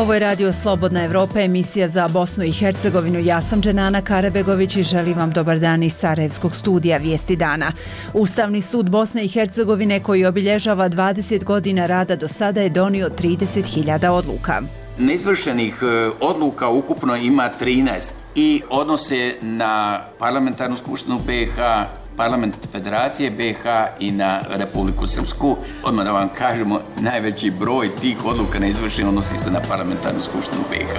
Ovo je Radio Slobodna Evropa, emisija za Bosnu i Hercegovinu. Ja sam Dženana Karabegović i želim vam dobar dan iz Sarajevskog studija Vijesti dana. Ustavni sud Bosne i Hercegovine, koji obilježava 20 godina rada do sada, je donio 30.000 odluka. Neizvršenih odluka ukupno ima 13 i odnose na Parlamentarnu skupštinu BiH, Parlament Federacije BiH i na Republiku Srpsku. Odmah da vam kažemo, najveći broj tih odluka neizvršenih odnosi se na Parlamentarnu skupštinu BiH.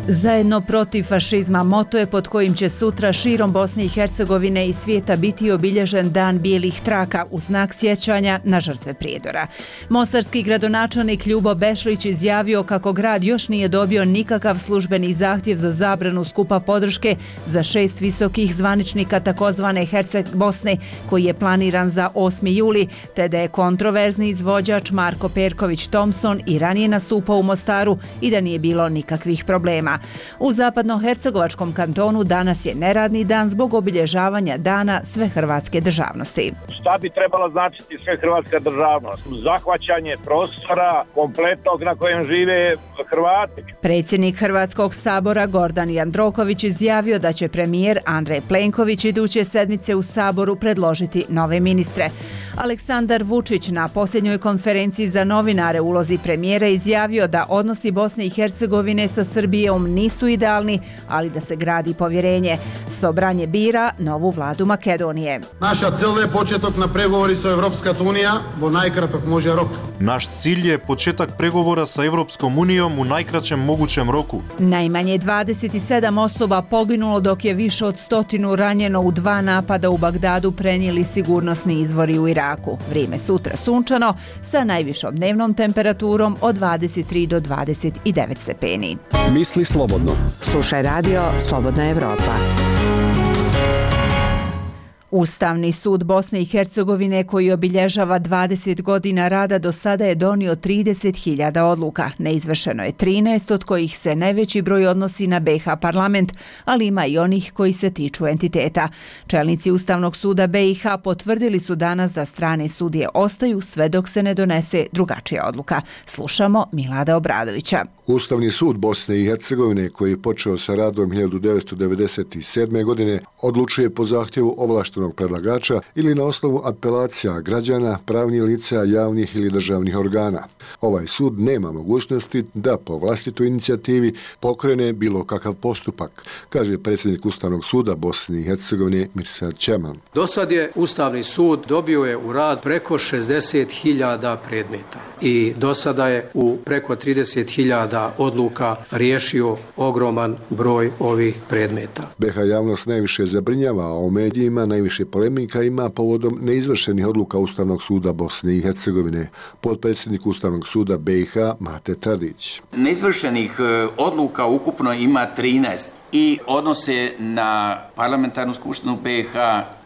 Zajedno protiv fašizma moto je pod kojim će sutra širom Bosne i Hercegovine i svijeta biti obilježen Dan bijelih traka u znak sjećanja na žrtve Prijedora. Mostarski gradonačelnik Ljubo Bešlić izjavio kako grad još nije dobio nikakav službeni zahtjev za zabranu skupa podrške za 6 visokih zvaničnika takozvane Herceg Bosne, koji je planiran za 8. juli, te da je kontroverzni izvođač Marko Perković Thompson i ranije nastupao u Mostaru i da nije bilo nikakvih problema. U zapadnohercegovačkom kantonu danas je neradni dan zbog obilježavanja dana svehrvatske državnosti. Šta bi trebalo značiti svehrvatska državnost? Zahvaćanje prostora kompletnog na kojem žive Hrvati. Predsjednik Hrvatskog sabora Gordan Jandroković izjavio da će premijer Andrej Plenković iduće sedmice u Saboru predložiti nove ministre. Aleksandar Vučić na posljednjoj konferenciji za novinare u ulozi premijera izjavio da odnosi Bosne i Hercegovine sa Srbijom nisu idealni, ali da se gradi povjerenje. Sobranje bira novu vladu Makedonije. Naša cel je početok na pregovori sa Evropska unija, bo najkratok može rok. Naš cilj je početak pregovora sa Evropskom unijom u najkraćem mogućem roku. Najmanje 27 osoba poginulo, dok je više od 100 ranjeno u 2 napada u Bagdadu, prenijeli sigurnosni izvori u Iraku. Vrijeme sutra sunčano sa najvišom dnevnom temperaturom od 23 do 29 stepeni. Misli slobodno. Slušaj Radio Slobodna Evropa. Ustavni sud Bosne i Hercegovine, koji obilježava 20 godina rada do sada, je donio 30.000 odluka. Neizvršeno je 13, od kojih se najveći broj odnosi na BiH parlament, ali ima i onih koji se tiču entiteta. Čelnici Ustavnog suda BiH potvrdili su danas da strane sudije ostaju sve dok se ne donese drugačija odluka. Slušamo Milada Obradovića. Ustavni sud Bosne i Hercegovine, koji je počeo sa radom 1997. godine, odlučuje po zahtjevu ovlaštenog predlagača ili na osnovu apelacija građana, pravnih lica, javnih ili državnih organa. Ovaj sud nema mogućnosti da po vlastitoj inicijativi pokrene bilo kakav postupak, kaže predsjednik Ustavnog suda Bosne i Hercegovine Mirsad Čeman. Do sad je Ustavni sud dobio je u rad preko 60.000 predmeta i do sada je u preko 30.000 odluka riješio ogroman broj ovih predmeta. BiH javnost najviše zabrinjava, a u medijima najviše polemika ima povodom neizvršenih odluka Ustavnog suda Bosne i Hercegovine. Potpredsjednik Ustavnog suda BiH Mate Tadić. Neizvršenih odluka ukupno ima 13 i odnose na Parlamentarnu skupštinu BiH,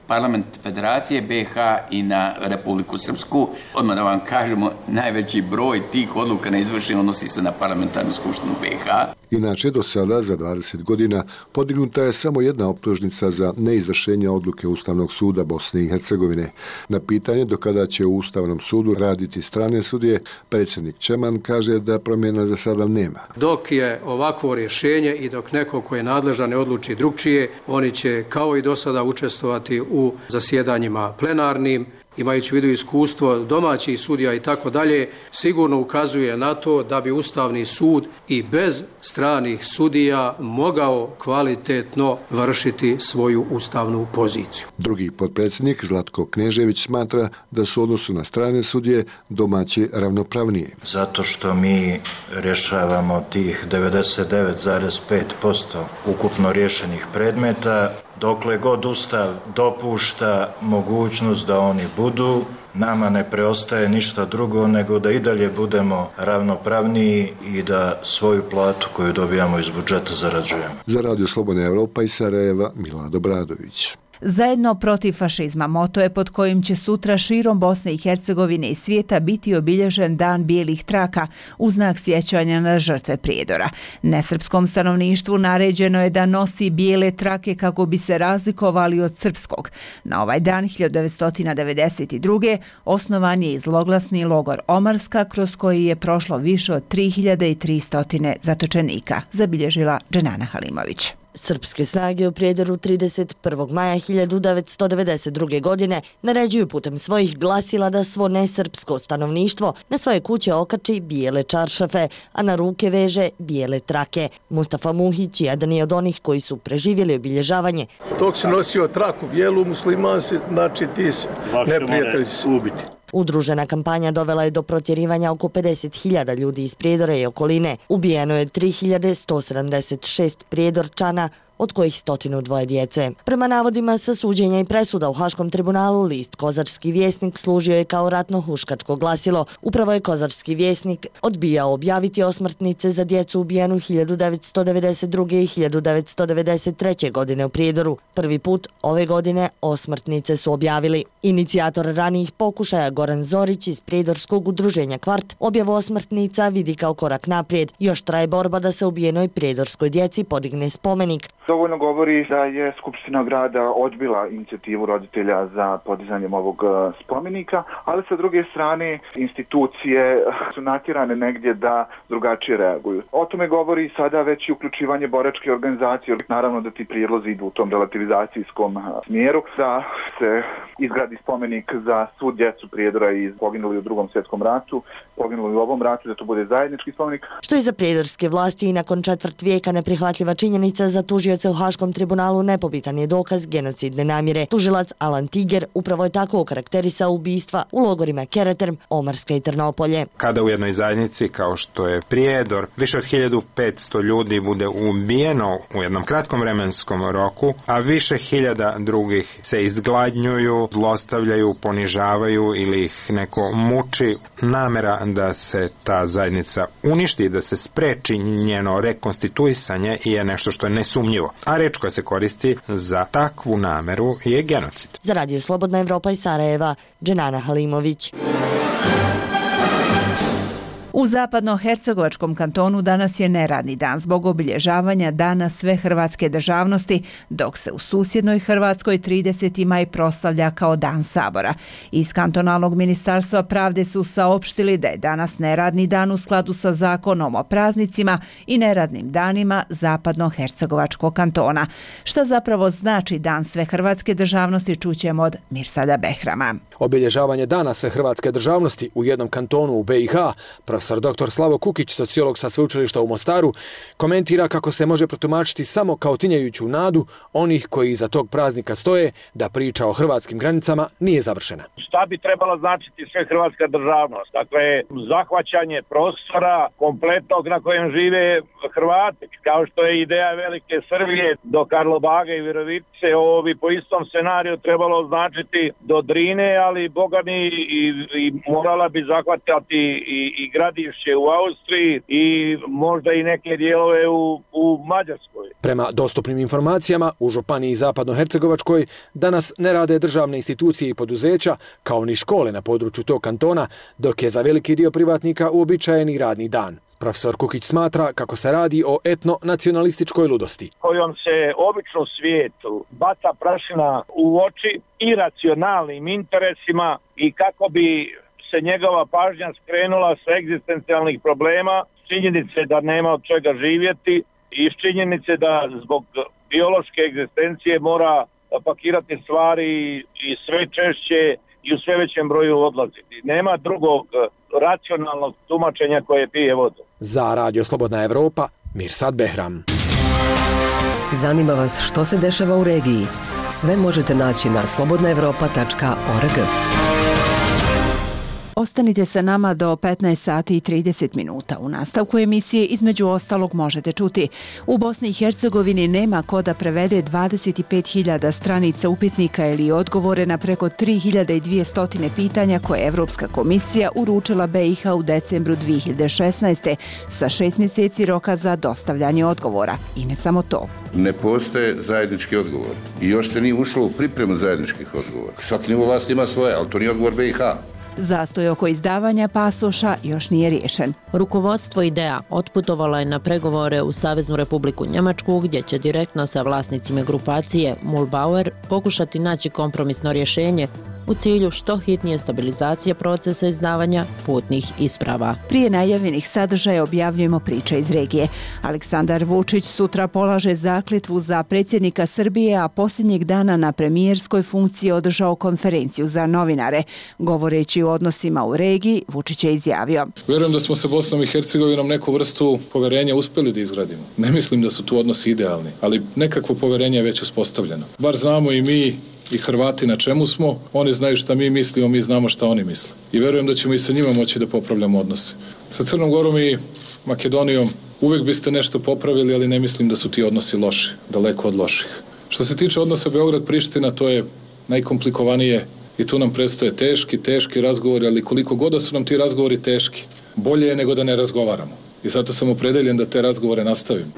Parlament Federacije BiH i na Republiku Srpsku. Odmah da vam kažemo, najveći broj tih odluka neizvršenih odnosi se na Parlamentarnu skupštinu BiH. Inače, do sada za 20 godina podignuta je samo jedna optužnica za neizvršenje odluke Ustavnog suda Bosne i Hercegovine. Na pitanje do kada će u Ustavnom sudu raditi strane sudije, predsjednik Čeman kaže da promjena za sada nema. Dok je ovakvo rješenje i dok neko ko je nadležan ne odluči drugčije, oni će kao i do sada učestvovati u zasjedanjima plenarnim, imajući u vidu iskustvo domaćih sudija i tako dalje, sigurno ukazuje na to da bi Ustavni sud i bez stranih sudija mogao kvalitetno vršiti svoju ustavnu poziciju. Drugi potpredsjednik Zlatko Knežević smatra da su u odnosu na strane sudije domaći ravnopravnije. Zato što mi rješavamo tih 99,5% ukupno riješenih predmeta, dokle god Ustav dopušta mogućnost da oni budu, nama ne preostaje ništa drugo nego da i dalje budemo ravnopravniji i da svoju platu koju dobijamo iz budžeta zarađujemo. Za Radio Slobodna Evropa iz Sarajeva, Milad Obradović. Zajedno protiv fašizma moto je pod kojim će sutra širom Bosne i Hercegovine i svijeta biti obilježen Dan bijelih traka u znak sjećanja na žrtve prijedora. Nesrpskom stanovništvu naređeno je da nosi bijele trake kako bi se razlikovali od srpskog. Na ovaj dan 1992. osnovan je i zloglasni logor Omarska kroz koji je prošlo više od 3300 zatočenika, zabilježila Dženana Halimović. Srpske snage u Prijedoru 31. maja 1992. godine naređuju putem svojih glasila da svo nesrpsko stanovništvo na svoje kuće okači bijele čaršafe, a na ruke veže bijele trake. Mustafa Muhić jedan je od onih koji su preživjeli obilježavanje. Dok si nosio traku bijelu, musliman si, znači ti si neprijatelj si ubiti. Udružena kampanja dovela je do protjerivanja oko 50.000 ljudi iz Prijedora i okoline. Ubijeno je 3.176 prijedorčana, od kojih 102 djece. Prema navodima sa suđenja i presuda u Haškom tribunalu, list Kozarski vjesnik služio je kao ratno-huškačko glasilo. Upravo je Kozarski vjesnik odbijao objaviti osmrtnice za djecu ubijenu 1992. i 1993. godine u Prijedoru. Prvi put ove godine osmrtnice su objavili. Inicijator ranijih pokušaja Goran Zorić iz Prijedorskog udruženja Kvart objavu osmrtnica vidi kao korak naprijed. Još traje borba da se ubijenoj prijedorskoj djeci podigne spomenik. Dovoljno govori da je Skupština grada odbila inicijativu roditelja za podizanjem ovog spomenika, ali sa druge strane institucije su natjerane negdje da drugačije reaguju. O tome govori sada već i uključivanje boračke organizacije. Naravno da ti prijedlozi idu u tom relativizacijskom smjeru, da se izgradi spomenik za svu djecu Prijedora i poginuli u Drugom svjetskom ratu, poginuli u ovom ratu, da to bude zajednički spomenik. Što je za prijedorske vlasti i nakon četvrt vijeka neprihvatljiva činjenica, za tužioce u Haškom tribunalu nepobitan je dokaz genocidne namjere. Tužilac Alan Tiger upravo je tako okarakterisao ubistva u logorima Kereterm, Omarska i Trnopolje. Kada u jednoj zajednici kao što je Prijedor više od 1500 ljudi bude ubijeno u jednom kratkom vremenskom roku, a više hiljada drugih se izgladnjuju, zlostavljaju, ponižavaju ili ih neko muči, namjera da se ta zajednica uništi, da se spreči njeno rekonstituisanje je nešto što je nesumnjivo. A reč koja se koristi za takvu nameru je genocid. Za Radio Slobodna Evropa iz Sarajeva, Dženana Halimović. U zapadno-hercegovačkom kantonu danas je neradni dan zbog obilježavanja Dana sve hrvatske državnosti, dok se u susjednoj Hrvatskoj 30. maj proslavlja kao Dan Sabora. Iz kantonalnog ministarstva pravde su saopštili da je danas neradni dan u skladu sa zakonom o praznicima i neradnim danima zapadno-hercegovačkog kantona. Šta zapravo znači Dan sve hrvatske državnosti čućemo od Mirsada Behrama. Obilježavanje Dana sve hrvatske državnosti u jednom kantonu u BiH, profesor dr. Slavo Kukić, sociolog sa sveučilišta u Mostaru, komentira kako se može protumačiti samo kao tinjajuću nadu onih koji iza tog praznika stoje da priča o hrvatskim granicama nije završena. Šta bi trebala značiti sve hrvatska državnost? Dakle, zahvaćanje prostora kompletnog na kojem žive Hrvati, kao što je ideja Velike Srbije do Karlobaga i Virovice, ovo bi po istom scenariju trebalo značiti do Drine, ali bogami i morala bi zahvatati i Gradišće u Austriji i možda i neke dijelove u Mađarskoj. Prema dostupnim informacijama, u županiji Zapadno-hercegovačkoj danas ne rade državne institucije i poduzeća, kao ni škole na području tog kantona, dok je za veliki dio privatnika uobičajeni radni dan. Profesor Kukić smatra kako se radi o etno-nacionalističkoj ludosti, kojom se obično svijetu baca prašina u oči iracionalnim interesima i kako bi se njegova pažnja skrenula sa egzistencijalnih problema, činjenice da nema od čega živjeti i činjenice da zbog biološke egzistencije mora pakirati stvari i sve češće i u sve većem broju odlaziti. Nema drugog racionalnog tumačenja koje pije vodu. Za Radio Slobodna Evropa, Mirsad Behram. Zanima vas što se dešava u regiji? Sve možete naći na slobodnaevropa.org. Ostanite sa nama do 15 sati i 30 minuta. U nastavku emisije između ostalog možete čuti: u Bosni i Hercegovini nema ko da prevede 25.000 stranica upitnika ili odgovore na preko 3.200 pitanja koje je Evropska komisija uručila BiH u decembru 2016. sa 6 mjeseci roka za dostavljanje odgovora. I ne samo to. Ne postoje zajednički odgovor. I još se nije ušlo u pripremu zajedničkih odgovora. Svaki nivo vlasti ima svoje, ali to nije odgovor BiH. Zastoj oko izdavanja pasoša još nije riješen. Rukovodstvo IDEA otputovalo je na pregovore u Saveznu Republiku Njemačku, gdje će direktno sa vlasnicima grupacije Mühlbauer pokušati naći kompromisno rješenje u cilju što hitnije stabilizacije procesa izdavanja putnih isprava. Prije najavljenih sadržaja objavljujemo priče iz regije. Aleksandar Vučić sutra polaže zakletvu za predsjednika Srbije, a posljednjeg dana na premijerskoj funkciji održao konferenciju za novinare. Govoreći o odnosima u regiji, Vučić je izjavio: Vjerujem da smo sa Bosnom i Hercegovinom neku vrstu poverenja uspjeli da izgradimo. Ne mislim da su tu odnosi idealni, ali nekakvo poverenje je već uspostavljeno. Bar znamo i mi i Hrvati na čemu smo, oni znaju šta mi mislimo, mi znamo šta oni misle. I vjerujem da ćemo i sa njima moći da popravljamo odnose. Sa Crnom Gorom i Makedonijom uvijek biste nešto popravili, ali ne mislim da su ti odnosi loši, daleko od loših. Što se tiče odnosa Beograd-Priština, to je najkomplikovanije i tu nam predstoje teški razgovori, ali koliko god da su nam ti razgovori teški, bolje je nego da ne razgovaramo. I zato sam opredeljen da te razgovore nastavim.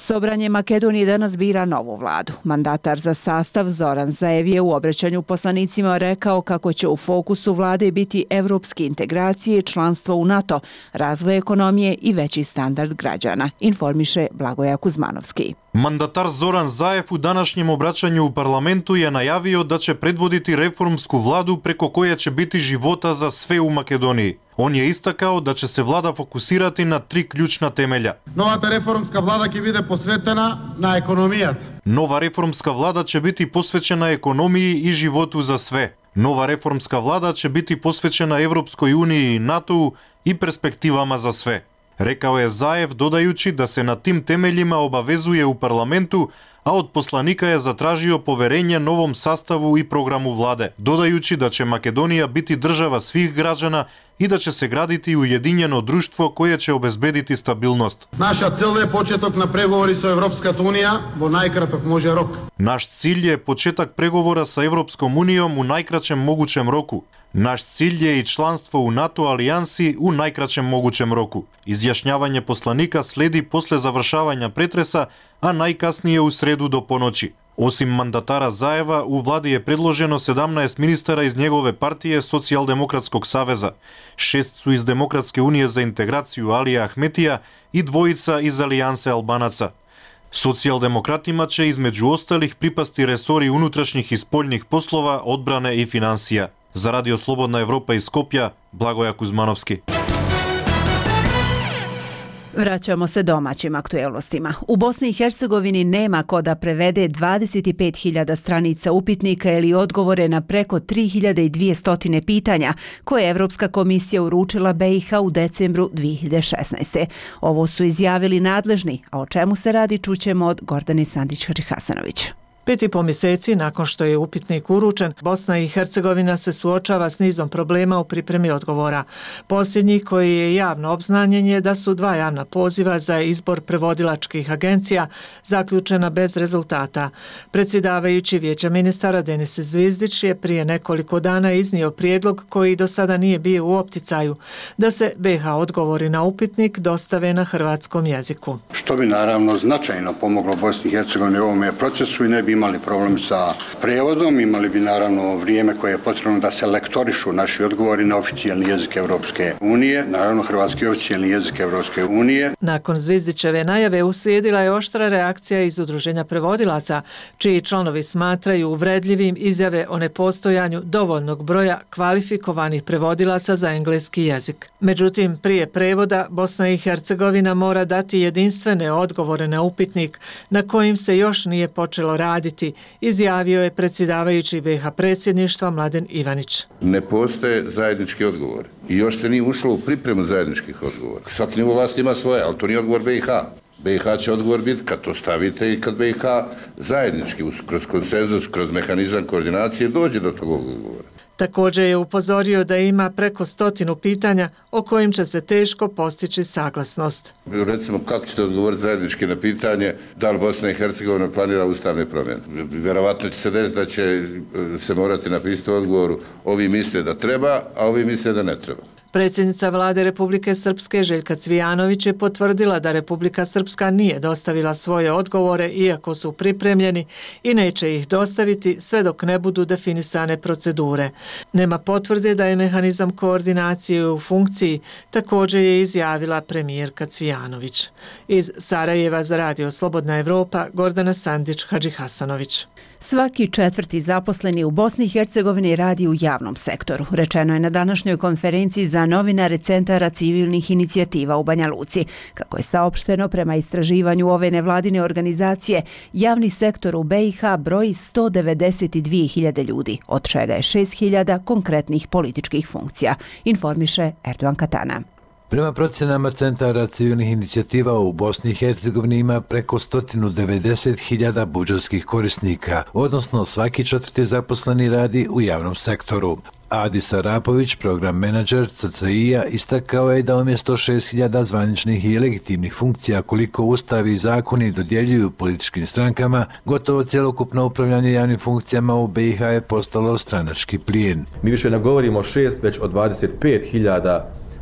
Sobranje Makedonije danas bira novu vladu. Mandatar za sastav Zoran Zaev je u obraćanju poslanicima rekao kako će u fokusu vlade biti evropske integracije, članstvo u NATO, razvoj ekonomije i veći standard građana, informiše Blagoja Kuzmanovski. Mandatar Zoran Zaev u današnjem obraćanju u parlamentu je najavio da će predvoditi reformsku vladu preko koje će biti života za sve u Makedoniji. On je istakao da će se vlada fokusirati na 3 ključna temelja. Новата реформска влада ќе биде посветена на економијата. Nova reformska vlada će biti posvećena ekonomiji i životu za sve. Nova reformska vlada će biti posvećena Evropskoj uniji i NATO-u i perspektivama za sve. Rekao je Zaev, dodajući da se na tim temeljima obavezuje u parlamentu, a od poslanika je zatražio poverenje novom sastavu i programu vlade, dodajući da će Makedonija biti država svih građana i da će se graditi ujedinjeno društvo koje će obezbediti stabilnost. Наша цел е почеток на преговори со Европската унија во најкраток може рок. Naš cilj je početak pregovora sa Evropskom unijom u najkraćem mogućem roku. Naš cilj je i članstvo u NATO alijansi u najkraćem mogućem roku. Izjašnjavanje poslanika sledi posle završavanja pretresa, a najkasnije u sredu do ponoći. Osim mandatara Zaeva, u vladi je predloženo 17 ministara iz njegove partije Socijaldemokratskog saveza, 6 su iz Demokratske unije za integraciju Alija Ahmetija i 2 iz Alijanse Albanaca. Socijaldemokratima će između ostalih pripasti resori unutrašnjih i spoljnih poslova, odbrane i financija. Za Radio Slobodna Evropa iz Skopja, Blagoja Kuzmanovski. Vraćamo se domaćim aktuelnostima. U Bosni i Hercegovini nema ko da prevede 25.000 stranica upitnika ili odgovore na preko 3.200 pitanja koje je Evropska komisija uručila BiH u decembru 2016. Ovo su izjavili nadležni, a o čemu se radi čućemo od Gordane Sandić-Hasanović. 5,5 mjeseci nakon što je upitnik uručen, Bosna i Hercegovina se suočava s nizom problema u pripremi odgovora. Posljednji, koji je javno obznanjen, je da su 2 javna poziva za izbor prevodilačkih agencija zaključena bez rezultata. Predsjedavajući Vijeća ministara Denis Zvizdić je prije nekoliko dana iznio prijedlog koji do sada nije bio u opticaju, da se BiH odgovori na upitnik dostave na hrvatskom jeziku. Što bi naravno značajno pomoglo Bosni i Hercegovini u ovome procesu i ne bi imali problem sa prevodom, imali bi naravno vrijeme koje je potrebno da se lektorišu naši odgovori na oficijalni jezik Evropske unije, naravno hrvatski oficijalni jezik Evropske unije. Nakon Zvizdićeve najave uslijedila je oštra reakcija iz Udruženja prevodilaca, čiji članovi smatraju uvredljivim izjave o nepostojanju dovoljnog broja kvalifikovanih prevodilaca za engleski jezik. Međutim, prije prevoda Bosna i Hercegovina mora dati jedinstvene odgovore na upitnik na kojim se još nije počelo raditi, izjavio je predsjedavajući BiH predsjedništva Mladen Ivanić. Ne postoje zajednički odgovor i još se nije ušlo u pripremu zajedničkih odgovora. Svaki nivo vlasti ima svoje, ali to nije odgovor BiH. BiH će odgovor biti kad to stavite i kad BiH zajednički, kroz konsenzus, kroz mehanizam koordinacije dođe do tog odgovora. Također je upozorio da ima preko 100 pitanja o kojim će se teško postići saglasnost. Recimo, kako ćete odgovoriti zajednički na pitanje da li Bosna i Hercegovina planira ustavne promjene? Vjerovatno će se desiti da će se morati napisati u odgovoru ovi misle da treba, a ovi misle da ne treba. Predsjednica Vlade Republike Srpske Željka Cvijanović je potvrdila da Republika Srpska nije dostavila svoje odgovore iako su pripremljeni i neće ih dostaviti sve dok ne budu definisane procedure. Nema potvrde da je mehanizam koordinacije u funkciji, također je izjavila premijerka Cvijanović. Iz Sarajeva za Radio Slobodna Evropa, Gordana Sandić-Hadžihasanović. Svaki 4. zaposleni u Bosni i Hercegovini radi u javnom sektoru, rečeno je na današnjoj konferenciji za novinare Centara civilnih inicijativa u Banja Luci. Kako je saopšteno, prema istraživanju ove nevladine organizacije, javni sektor u BiH broji 192.000 ljudi, od čega je 6.000 konkretnih političkih funkcija, informiše Erdogan Katana. Prema procjenama Centara civilnih inicijativa u Bosni i Hercegovini ima preko 190.000 budžetskih korisnika, odnosno svaki 4. zaposleni radi u javnom sektoru. Adis Arapović, program menadžer CCI-a, istakao je da umjesto 6.000 zvaničnih i legitimnih funkcija koliko ustavi i zakoni dodjeljuju političkim strankama, gotovo cjelokupno upravljanje javnim funkcijama u BiH je postalo stranački plijen. Mi više ne govorimo o 6, već o 25.000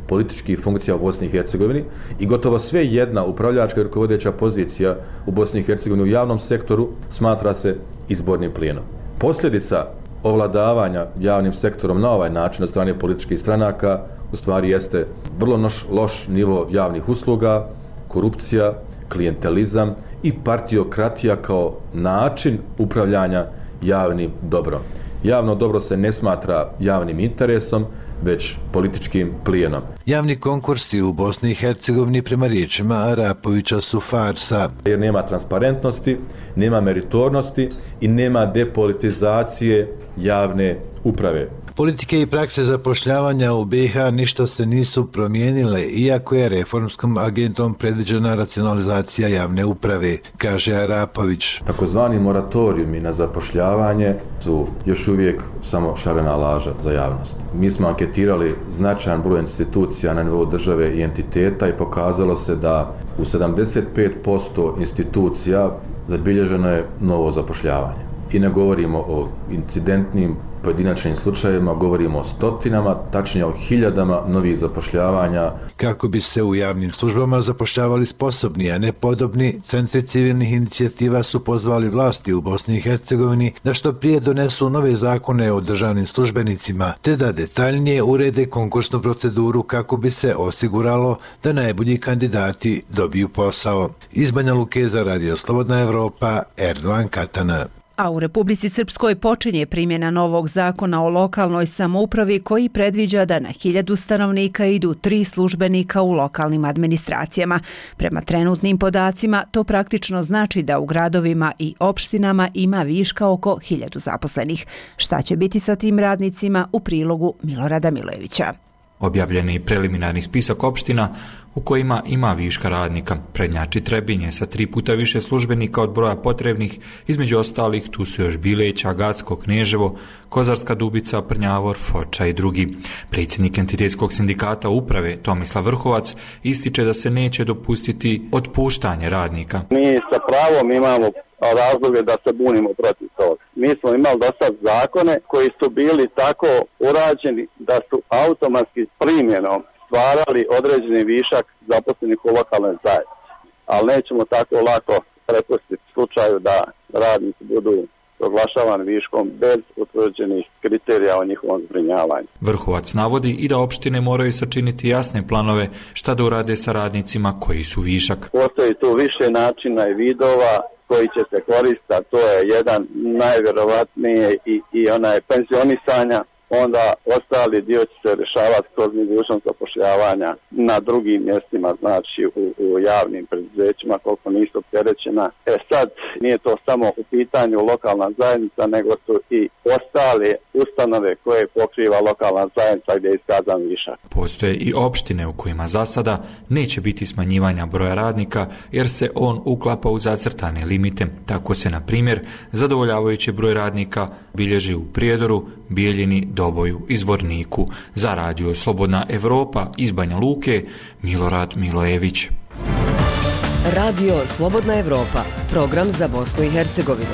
političkih funkcija u Bosni i Hercegovini i gotovo sve jedna upravljačka i rukovodeća pozicija u Bosni i Hercegovini u javnom sektoru smatra se izbornim plijenom. Posljedica ovladavanja javnim sektorom na ovaj način od strane političkih stranaka u stvari jeste vrlo loš nivo javnih usluga, korupcija, klijentelizam i partiokratija kao način upravljanja javnim dobrom. Javno dobro se ne smatra javnim interesom, već političkim plijenom. Javni konkursi u Bosni i Hercegovini prema riječima Arapovića su farsa. Jer nema transparentnosti, nema meritornosti i nema depolitizacije javne uprave. Politike i prakse zapošljavanja u BiH ništa se nisu promijenile, iako je reformskom agentom predviđena racionalizacija javne uprave, kaže Arapović. Takozvani moratorijumi na zapošljavanje su još uvijek samo šarena laža za javnost. Mi smo anketirali značajan broj institucija na nivou države i entiteta i pokazalo se da u 75% institucija zabilježeno je novo zapošljavanje. I ne govorimo o incidentnim pojedinačnim slučajevima, govorimo o stotinama, tačnije o hiljadama novih zapošljavanja. Kako bi se u javnim službama zapošljavali sposobni, a ne podobni, centri civilnih inicijativa su pozvali vlasti u Bosni i Hercegovini da što prije donesu nove zakone o državnim službenicima, te da detaljnije urede konkursnu proceduru kako bi se osiguralo da najbolji kandidati dobiju posao. Iz Banja Luke za Radio Slobodna Evropa, Erdogan Katana. A u Republici Srpskoj počinje primjena novog zakona o lokalnoj samoupravi koji predviđa da na 1000 stanovnika idu 3 službenika u lokalnim administracijama. Prema trenutnim podacima to praktično znači da u gradovima i opštinama ima viška oko 1000 zaposlenih. Šta će biti sa tim radnicima u prilogu Milorada Milojevića? Objavljen je preliminarni spisak opština u kojima ima viška radnika. Prednjači Trebinje sa 3 puta više službenika od broja potrebnih, između ostalih tu su još Bileća, Gacko, Kneževo, Kozarska Dubica, Prnjavor, Foča i drugi. Predsjednik Entitetskog sindikata uprave Tomislav Vrhovac ističe da se neće dopustiti otpuštanje radnika. Mi sa pravom imamo razloge da se bunimo protiv toga. Mi smo imali do sad zakone koji su bili tako urađeni da su automatski primjenom stvarali određeni višak zaposlenih u lokalnoj zajednici. Ali nećemo tako lako prepustiti slučaju da radnici budu proglašavani viškom bez utvrđenih kriterija o njihovom zbrinjavanju. Vrhovac navodi i da opštine moraju sačiniti jasne planove šta da urade sa radnicima koji su višak. Postoji tu više načina i vidova koji će se koristiti, to je jedan najvjerovatnije i onaj penzionisanja, onda ostali dio će se rješavati kroz mogućnost zapošljavanja na drugim mjestima, znači u javnim preduzećima koliko nisu opterećena. Sad nije to samo u pitanju lokalna zajednica, nego su i ostale ustanove koje pokriva lokalna zajednica gdje je iskazan višak. Postoje i opštine u kojima za sada neće biti smanjivanja broja radnika jer se on uklapa u zacrtane limite. Tako se, na primjer, zadovoljavajući broj radnika bilježi u Prijedoru, Bijeljini, Doboju iz Vorniku. Za radio Slobodna Evropa iz Banja Luke, Milorad Milojević. Radio Slobodna Evropa, program za Bosnu i Hercegovinu.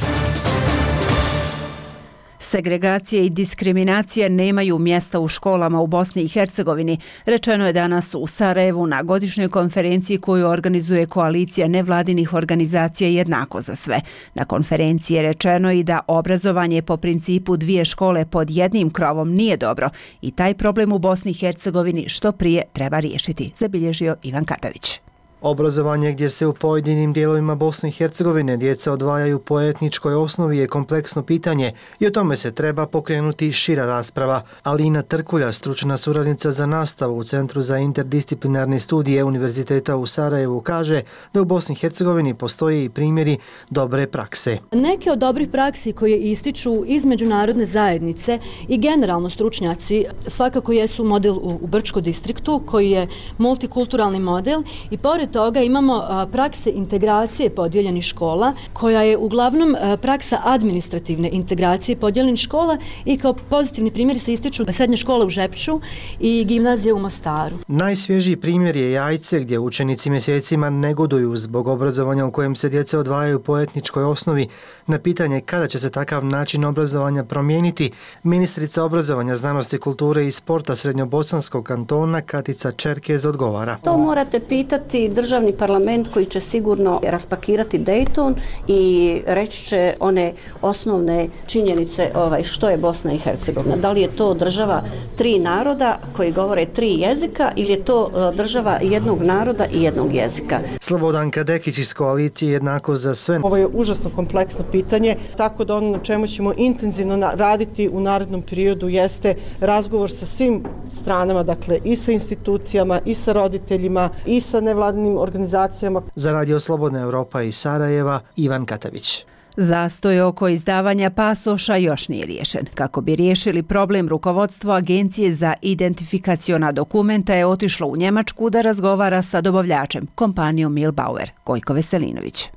Segregacije i diskriminacije nemaju mjesta u školama u Bosni i Hercegovini, rečeno je danas u Sarajevu na godišnjoj konferenciji koju organizuje koalicija nevladinih organizacija Jednako za sve. Na konferenciji je rečeno i da obrazovanje po principu dvije škole pod jednim krovom nije dobro i taj problem u Bosni i Hercegovini što prije treba riješiti, zabilježio Ivan Katavić. Obrazovanje gdje se u pojedinim dijelovima Bosne i Hercegovine djeca odvajaju po etničkoj osnovi je kompleksno pitanje i o tome se treba pokrenuti šira rasprava. Alina Trkulja, stručna suradnica za nastavu u Centru za interdisciplinarne studije Univerziteta u Sarajevu, kaže da u Bosni i Hercegovini postoje i primjeri dobre prakse. Neke od dobrih praksi koje ističu iz međunarodne zajednice i generalno stručnjaci svakako jesu model u Brčko distriktu koji je multikulturalni model i pored toga imamo prakse integracije podijeljenih škola koja je uglavnom praksa administrativne integracije podijeljenih škola i kao pozitivni primjeri se ističu srednje škole u Žepču i gimnazije u Mostaru. Najsvježiji primjer je Jajce gdje učenici mjesecima negoduju zbog obrazovanja u kojem se djeca odvajaju po etničkoj osnovi. Na pitanje kada će se takav način obrazovanja promijeniti, ministrica obrazovanja, znanosti, kulture i sporta Srednjobosanskog kantona Katica Čerkez odgovara. To morate pitati državni parlament koji će sigurno raspakirati Dayton i reći će one osnovne činjenice što je Bosna i Hercegovina. Da li je to država tri naroda koji govore tri jezika ili je to država jednog naroda i jednog jezika. Slobodan Kadekić iz koalicije Jednako za sve. Ovo je užasno kompleksno pitanje, tako da ono na čemu ćemo intenzivno raditi u narednom periodu jeste razgovor sa svim stranama, dakle i sa institucijama, i sa roditeljima, i sa nevladinim organizacijama. Za Radio Slobodna Evropa iz Sarajeva, Ivan Katavić. Zastoj oko izdavanja pasoša još nije riješen. Kako bi riješili problem, rukovodstvo Agencije za identifikaciona dokumenta je otišlo u Njemačku da razgovara sa dobavljačem, kompanijom Milbauer. Gojko Veselinović.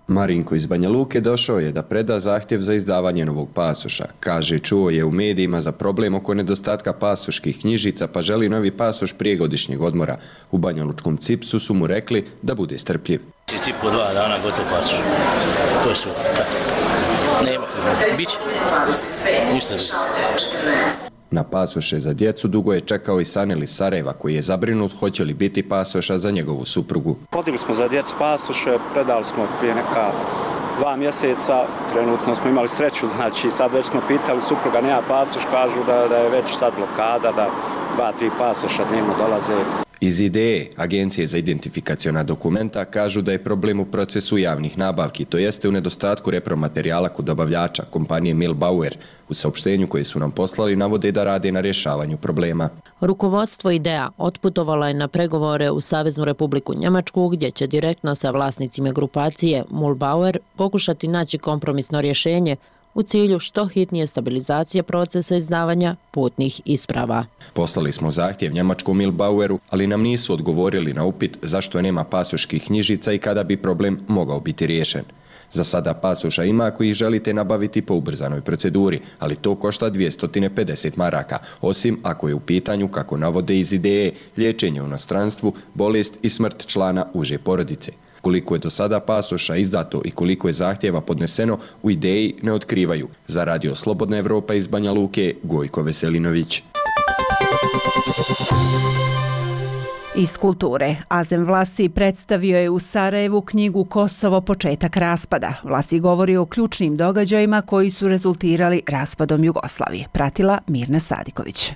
Marinko iz Banja Luke došao je da preda zahtjev za izdavanje novog pasoša. Kaže, čuo je u medijima za problem oko nedostatka pasoških knjižica pa želi novi pasoš prije godišnjeg odmora. U banjalučkom CIPS-u su mu rekli da bude strpljiv. CIP-u 2 dana gotov pasoš. To je sve. Nema. Biće. Ništa. Na pasoše za djecu dugo je čekao i Sanel iz Sarajeva koji je zabrinut hoće li biti pasoša za njegovu suprugu. Podigli smo za djecu pasoše, predali smo prije neka 2 mjeseca, trenutno smo imali sreću, znači sad već smo pitali, supruga nema pasoš, kažu da je već sad blokada, da 2-3 pasoša dnevno dolaze. Iz IDE, Agencije za identifikaciona dokumenta, kažu da je problem u procesu javnih nabavki, to jeste u nedostatku repromaterijala kod dobavljača, kompanije Milbauer. U saopštenju koje su nam poslali navode da rade na rješavanju problema. Rukovodstvo IDEA otputovalo je na pregovore u Saveznu Republiku Njemačku gdje će direktno sa vlasnicima grupacije Mulbauer pokušati naći kompromisno rješenje u cilju što hitnije stabilizacije procesa izdavanja putnih isprava. Poslali smo zahtjev njemačkom Milbaueru, ali nam nisu odgovorili na upit zašto nema pasoških knjižica i kada bi problem mogao biti riješen. Za sada pasoša ima ako ih želite nabaviti po ubrzanoj proceduri, ali to košta 250 maraka, osim ako je u pitanju, kako navode iz IDE, liječenje u inostranstvu, bolest i smrt člana uže porodice. Koliko je do sada pasoša izdato i koliko je zahtjeva podneseno, u IDEji ne otkrivaju. Za Radio Slobodna Evropa iz Banja Luke, Gojko Veselinović. Iz kulture. Azem Vlasi predstavio je u Sarajevu knjigu Kosovo, početak raspada. Vlasi govori o ključnim događajima koji su rezultirali raspadom Jugoslavije. Pratila Mirna Sadiković.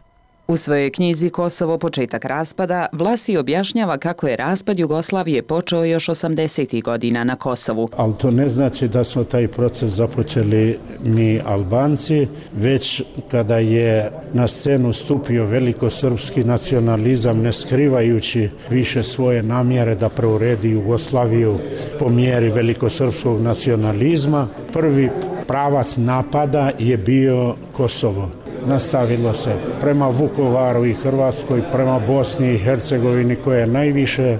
U svojoj knjizi Kosovo, početak raspada, Vlasi objašnjava kako je raspad Jugoslavije počeo još 80. godina na Kosovu. Ali to ne znači da smo taj proces započeli mi Albanci, već kada je na scenu stupio velikosrpski nacionalizam, ne skrivajući više svoje namjere da preuredi Jugoslaviju po mjeri velikosrpskog nacionalizma. Prvi pravac napada je bio Kosovo. Nastavilo se prema Vukovaru i Hrvatskoj, prema Bosni i Hercegovini koja je najviše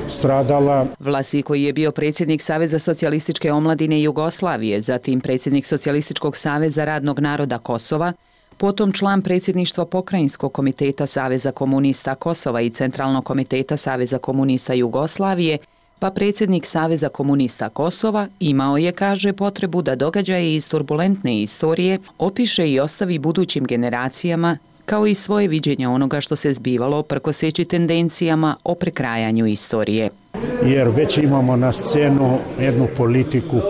stradala. Vlasi, koji je bio predsjednik Saveza socijalističke omladine Jugoslavije, zatim predsjednik Socijalističkog saveza radnog naroda Kosova, potom član predsjedništva Pokrajinskog komiteta Saveza komunista Kosova i Centralnog komiteta Saveza komunista Jugoslavije, pa predsjednik Saveza komunista Kosova imao je, kaže, potrebu da događaje iz turbulentne istorije opiše i ostavi budućim generacijama, kao i svoje viđenje onoga što se zbivalo prkoseći tendencijama o prekrajanju istorije. Jer već imamo na scenu jednu politiku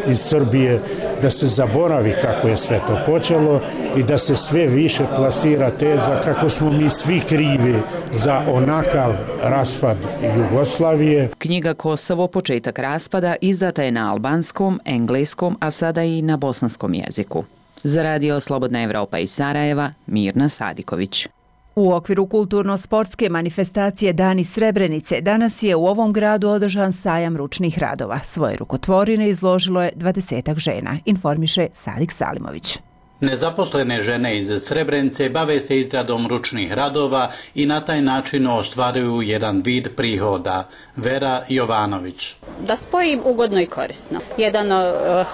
iz Srbije da se zaboravi kako je sve to počelo i da se sve više plasira teza kako smo mi svi krivi za onakav raspad Jugoslavije. Knjiga Kosovo, početak raspada izdata je na albanskom, engleskom, a sada i na bosanskom jeziku. Za Radio Slobodna Evropa iz Sarajeva, Mirna Sadiković. U okviru kulturno-sportske manifestacije Dani Srebrenice danas je u ovom gradu održan sajam ručnih radova. Svoje rukotvorine izložilo je 20 žena, informiše Sadik Salimović. Nezaposlene žene iz Srebrenice bave se izradom ručnih radova i na taj način ostvaruju jedan vid prihoda. Vera Jovanović. Da spojim ugodno i korisno. Jedan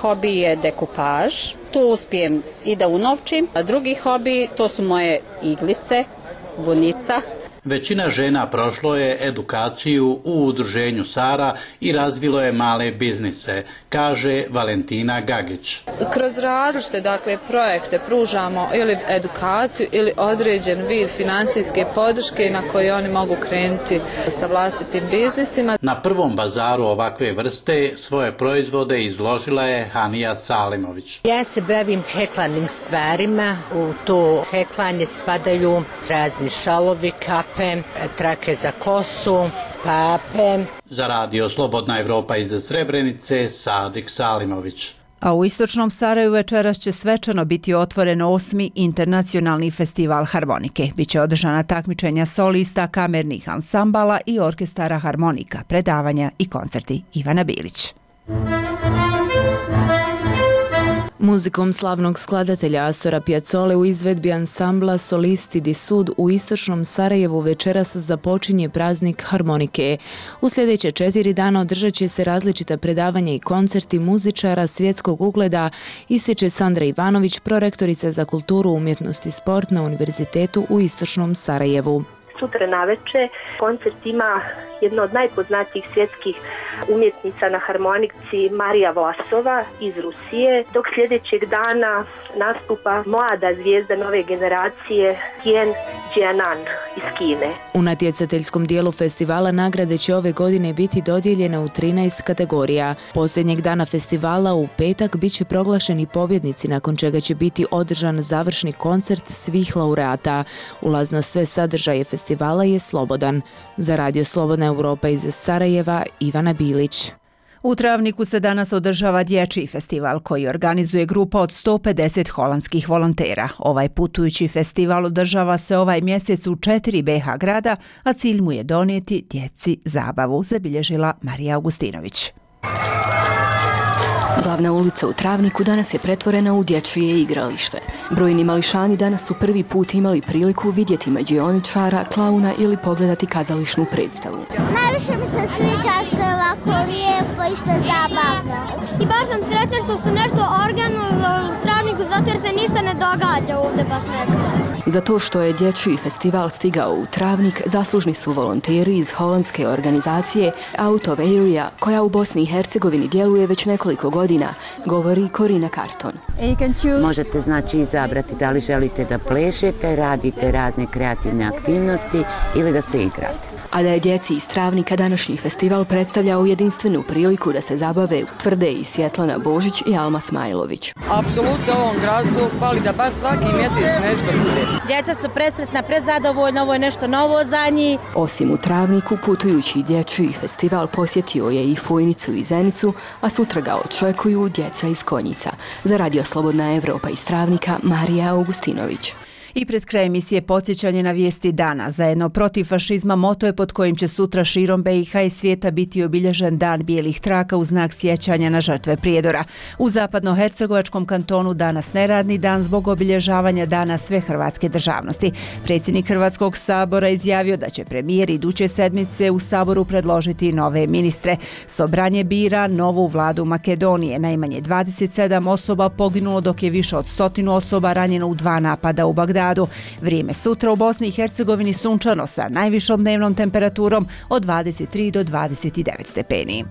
hobi je dekupaž, tu uspijem i da unovčim, a drugi hobi to su moje iglice, vunica. Većina žena prošlo je edukaciju u udruženju Sara i razvilo je male biznise, kaže Valentina Gagić. Kroz različite projekte pružamo ili edukaciju ili određen vid financijske podrške na koje oni mogu krenuti sa vlastitim biznisima. Na prvom bazaru ovakve vrste svoje proizvode izložila je Hanija Salimović. Ja se bavim heklanim stvarima, u to heklanje spadaju razni šalovi, kape, trake za kosu, pape. Za Radio Slobodna Evropa iz Srebrenice, Sadik Salimović. A u istočnom Sarajevu večeras će svečano biti otvoren 8. internacionalni festival harmonike. Biće održana takmičenja solista, kamernih ansambala i orkestara harmonika, predavanja i koncerti. Ivana Bilić. Muzikom slavnog skladatelja Astora Piazzole u izvedbi ansambla Solisti di Sud u istočnom Sarajevu večeras započinje praznik harmonike. U sljedeće 4 dana održat će se različita predavanja i koncerti muzičara svjetskog ugleda, ističe Sandra Ivanović, prorektorica za kulturu, umjetnost i sport na Univerzitetu u istočnom Sarajevu. Sutra naveče koncert ima jedna od najpoznatijih svjetskih umjetnica na harmonici Marija Vlasova iz Rusije, dok sljedećeg dana nastupa mlada zvijezda nove generacije Tien Jianan iz Kine. U natjecateljskom dijelu festivala nagrade će ove godine biti dodijeljene u 13 kategorija. Posljednjeg dana festivala u petak bit će proglašeni pobjednici, nakon čega će biti održan završni koncert svih laureata. Ulaz na sve sadržaje festivala je slobodan. Za Radio Slobodna Evropa iz Sarajeva, Ivana Bilić. U Travniku se danas održava dječji festival koji organizuje grupa od 150 holandskih volontera. Ovaj putujući festival održava se ovaj mjesec u 4 BiH grada, a cilj mu je donijeti djeci zabavu, zabilježila Marija Augustinović. Glavna ulica u Travniku danas je pretvorena u dječje igralište. Brojni mališani danas su prvi put imali priliku vidjeti mađioničara, klauna ili pogledati kazališnu predstavu. Najviše mi se sviđa što je ovako lijepo i što je zabavno. I baš sam sretna što su nešto organizovali u Travniku, zato jer se ništa ne događa ovdje baš nešto. Za to što je dječji festival stigao u Travnik, zaslužni su volonteri iz holandske organizacije Out of Area, koja u Bosni i Hercegovini djeluje već nekoliko godina, govori Korina Karton. Možete znači izabrati da li želite da plešete, radite razne kreativne aktivnosti ili da se igrate. A da je djeci iz Travnika današnji festival predstavljao jedinstvenu priliku da se zabave Tvrde i Svjetlana Božić i Alma Smajlović. Apsolutno ovom gradu to fali da baš svaki mjesec nešto bude. Djeca su presretna, prezadovoljna, ovo je nešto novo za njih. Osim u Travniku, putujući dječji festival posjetio je i Fojnicu i Zenicu, a sutra ga očekuju djeca iz Konjica. Za Radio Slobodna Evropa iz Travnika, Marija Augustinović. I pred kraj emisije podsjećanje na vijesti dana. Zajedno protiv fašizma moto je pod kojim će sutra širom BiH i svijeta biti obilježen Dan bijelih traka u znak sjećanja na žrtve Prijedora. U zapadnohercegovačkom kantonu danas neradni dan zbog obilježavanja dana sve hrvatske državnosti. Predsjednik Hrvatskog sabora izjavio da će premijer iduće sedmice u saboru predložiti nove ministre. Sobranje bira novu vladu Makedonije. Najmanje 27 osoba poginulo dok je više od 100 osoba ranjeno u 2 napada u Bagdadu. Vrijeme sutra u Bosni i Hercegovini sunčano sa najvišom dnevnom temperaturom od 23 do 29 stepeni.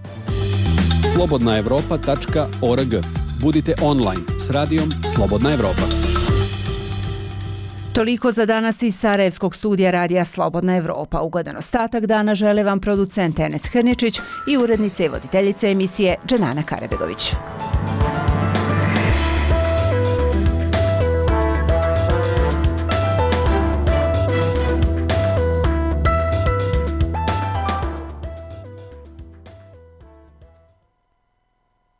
slobodnaevropa.org. Budite online s radijom Slobodna Evropa. Toliko za danas iz Sarajevskog studija radija Slobodna Evropa. Ugodan ostatak dana žele vam producent Enes Hrničić i urednica i voditeljica emisije Dženana Karabegović.